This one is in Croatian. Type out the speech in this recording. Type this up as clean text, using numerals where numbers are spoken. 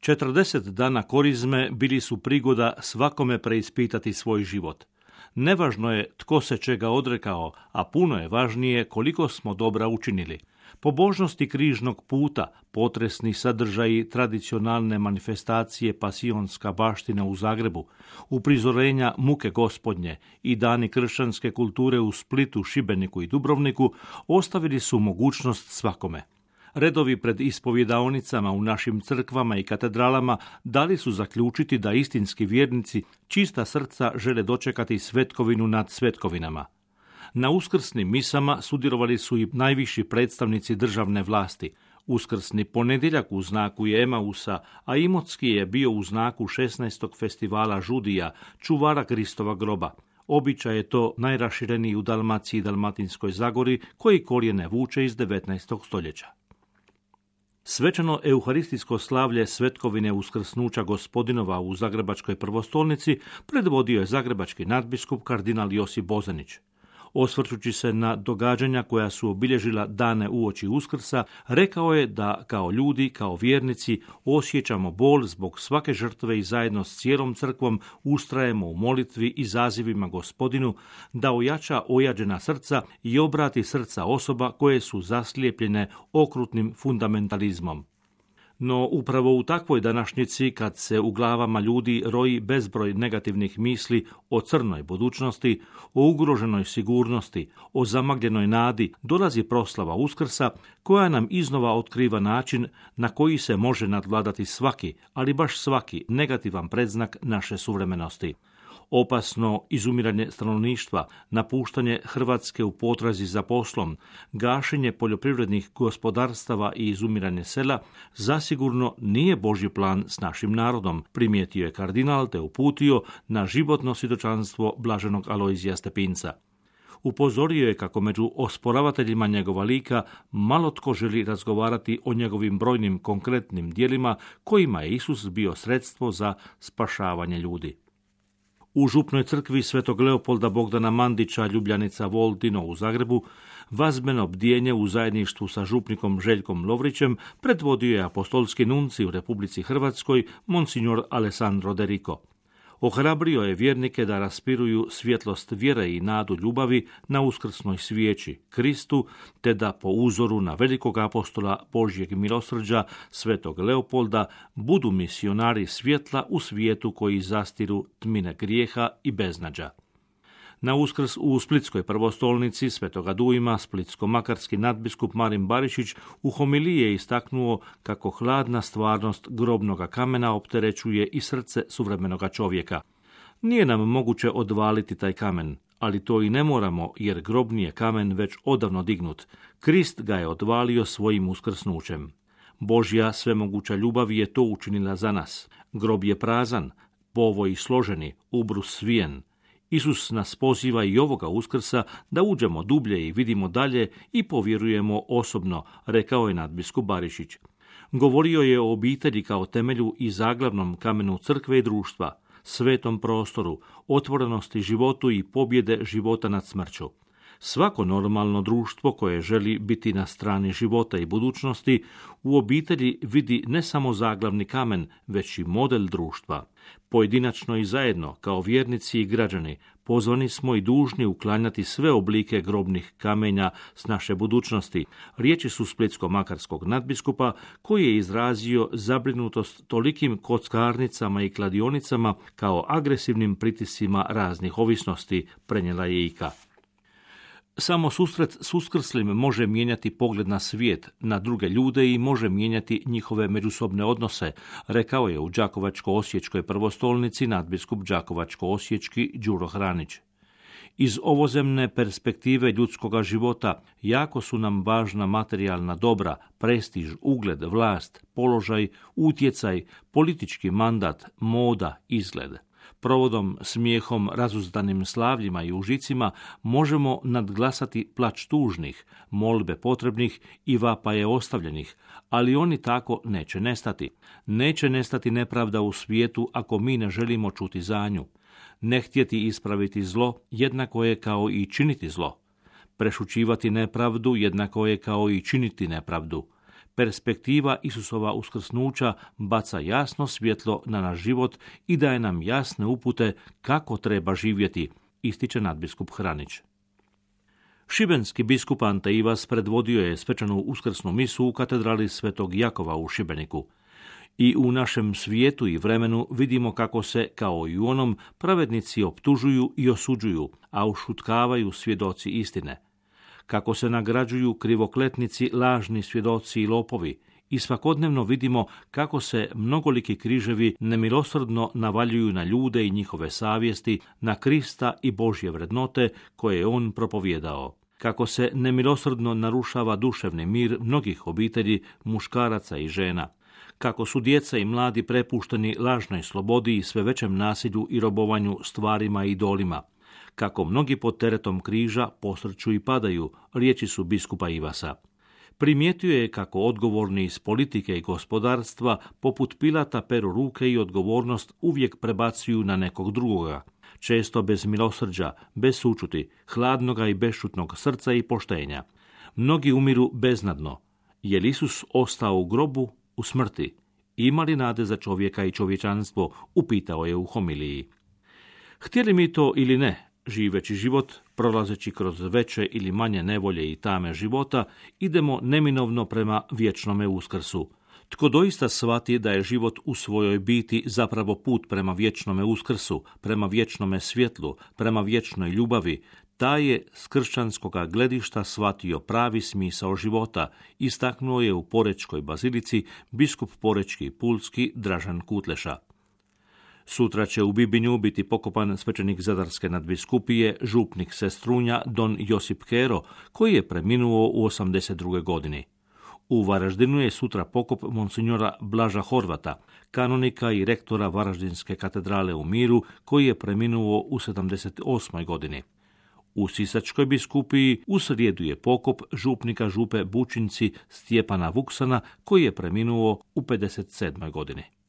40 dana korizme bili su prigoda svakome preispitati svoj život. Nevažno je tko se čega odrekao, a puno je važnije koliko smo dobra učinili. Pobožnosti križnog puta, potresni sadržaji tradicionalne manifestacije Pasionska baština u Zagrebu, uprizorenja muke Gospodnje i dani kršćanske kulture u Splitu, Šibeniku i Dubrovniku ostavili su mogućnost svakome. Redovi pred ispovjedaonicama u našim crkvama i katedralama dali su zaključiti da istinski vjernici čista srca žele dočekati svetkovinu nad svetkovinama. Na uskrsnim misama sudjelovali su i najviši predstavnici državne vlasti. Uskrsni ponedjeljak u znaku je Emausa, a Imotski je bio u znaku 16. festivala Žudija, čuvara Kristova groba. Običaj je to najrašireniji u Dalmaciji i Dalmatinskoj Zagori, koji korijene vuče iz 19. stoljeća. Svečano euharistijsko slavlje svetkovine uskrsnuća Gospodinova u Zagrebačkoj prvostolnici predvodio je zagrebački nadbiskup kardinal Josip Bozanić. Osvrćući se na događanja koja su obilježila dane uoči Uskrsa, rekao je da kao ljudi, kao vjernici, osjećamo bol zbog svake žrtve i zajedno s cijelom crkvom ustrajemo u molitvi i zazivima Gospodinu da ojača ojađena srca i obrati srca osoba koje su zaslijepljene okrutnim fundamentalizmom. No upravo u takvoj današnjici, kad se u glavama ljudi roji bezbroj negativnih misli o crnoj budućnosti, o ugroženoj sigurnosti, o zamagljenoj nadi, dolazi proslava Uskrsa koja nam iznova otkriva način na koji se može nadvladati svaki, ali baš svaki negativan predznak naše suvremenosti. Opasno izumiranje stanovništva, napuštanje Hrvatske u potrazi za poslom, gašenje poljoprivrednih gospodarstava i izumiranje sela zasigurno nije Božji plan s našim narodom, primijetio je kardinal te uputio na životno svjedočanstvo blaženog Alojzija Stepinca. Upozorio je kako među osporavateljima njegova lika malo tko želi razgovarati o njegovim brojnim konkretnim djelima kojima je Isus bio sredstvo za spašavanje ljudi. U župnoj crkvi Svetog Leopolda Bogdana Mandića, Ljubljanica Voldino u Zagrebu, vazbeno bdijenje u zajedništvu sa župnikom Željkom Lovrićem predvodio je apostolski nunci u Republici Hrvatskoj, monsignor Alessandro De Rico. Ohrabrio je vjernike da raspiruju svjetlost vjere i nadu ljubavi na uskrsnoj svijeći, Kristu, te da po uzoru na velikog apostola Božjeg milosrđa, Svetog Leopolda, budu misionari svjetla u svijetu koji zastiru tmine grijeha i beznađa. Na Uskrs u Splitskoj prvostolnici Svetoga Dujma splitsko-makarski nadbiskup Marin Barišić u homiliji je istaknuo kako hladna stvarnost grobnoga kamena opterećuje i srce suvremenoga čovjeka. Nije nam moguće odvaliti taj kamen, ali to i ne moramo jer grobni je kamen već odavno dignut. Krist ga je odvalio svojim uskrsnućem. Božja svemoguća ljubav je to učinila za nas. Grob je prazan, povoj složeni, ubrus svijen. Isus nas poziva i ovoga Uskrsa da uđemo dublje i vidimo dalje i povjerujemo osobno, rekao je nadbiskup Barišić. Govorio je o obitelji kao temelju i zaglavnom kamenu crkve i društva, svetom prostoru, otvorenosti životu i pobjede života nad smrću. Svako normalno društvo koje želi biti na strani života i budućnosti u obitelji vidi ne samo zaglavni kamen, već i model društva. Pojedinačno i zajedno, kao vjernici i građani, pozvani smo i dužni uklanjati sve oblike grobnih kamenja s naše budućnosti. Riječi su splitsko-makarskog nadbiskupa koji je izrazio zabrinutost tolikim kockarnicama i kladionicama kao agresivnim pritiscima raznih ovisnosti, prenijela je Ika. Samo susret s uskrslim može mijenjati pogled na svijet, na druge ljude i može mijenjati njihove međusobne odnose, rekao je u Đakovačko-osječkoj prvostolnici nadbiskup Đakovačko-osječki Đuro Hranić. Iz ovozemne perspektive ljudskoga života jako su nam važna materijalna dobra, prestiž, ugled, vlast, položaj, utjecaj, politički mandat, moda, izgled. Provodom, smijehom, razuzdanim slavljima i užicima možemo nadglasati plač tužnih, molbe potrebnih i vapaje ostavljenih, ali oni tako neće nestati. Neće nestati nepravda u svijetu ako mi ne želimo čuti za nju. Ne htjeti ispraviti zlo jednako je kao i činiti zlo. Prešućivati nepravdu jednako je kao i činiti nepravdu. Perspektiva Isusova uskrsnuća baca jasno svjetlo na naš život i daje nam jasne upute kako treba živjeti, ističe nadbiskup Hranić. Šibenski biskup Ante Ivas predvodio je svečanu uskrsnu misu u katedrali Svetog Jakova u Šibeniku. I u našem svijetu i vremenu vidimo kako se, kao i u onom, pravednici optužuju i osuđuju, a ušutkavaju svjedoci istine. Kako se nagrađuju krivokletnici, lažni svjedoci i lopovi, i svakodnevno vidimo kako se mnogoliki križevi nemilosrdno navaljuju na ljude i njihove savjesti, na Krista i Božje vrednote koje je on propovijedao. Kako se nemilosrdno narušava duševni mir mnogih obitelji, muškaraca i žena. Kako su djeca i mladi prepušteni lažnoj slobodi i sve većem nasilju i robovanju stvarima i idolima. Kako mnogi pod teretom križa posrću i padaju, riječi su biskupa Ivasa. Primijetio je kako odgovorni iz politike i gospodarstva poput Pilata peru ruke i odgovornost uvijek prebacuju na nekog drugoga, često bez milosrđa, bez sućuti, hladnoga i bešćutnog srca i poštenja. Mnogi umiru beznadno. Je li Isus ostao u grobu, u smrti? Ima li nade za čovjeka i čovječanstvo? Upitao je u homiliji. Htjeli mi to ili ne, živeći život, prolazeći kroz veće ili manje nevolje i tame života, idemo neminovno prema vječnome uskrsu. Tko doista shvati da je život u svojoj biti zapravo put prema vječnome uskrsu, prema vječnome svjetlu, prema vječnoj ljubavi, taj je s kršćanskoga gledišta shvatio pravi smisao života, istaknuo je u Porečkoj bazilici biskup Porečki i Pulski Dražan Kutleša. Sutra će u Bibinju biti pokopan svećenik Zadarske nadbiskupije, župnik Sestrunja don Josip Kero, koji je preminuo u 82. godini. U Varaždinu je sutra pokop monsinjora Blaža Horvata, kanonika i rektora Varaždinske katedrale u Miru, koji je preminuo u 78. godini. U Sisačkoj biskupiji u srijedu je pokop župnika župe Bučinci Stjepana Vuksana, koji je preminuo u 57. godini.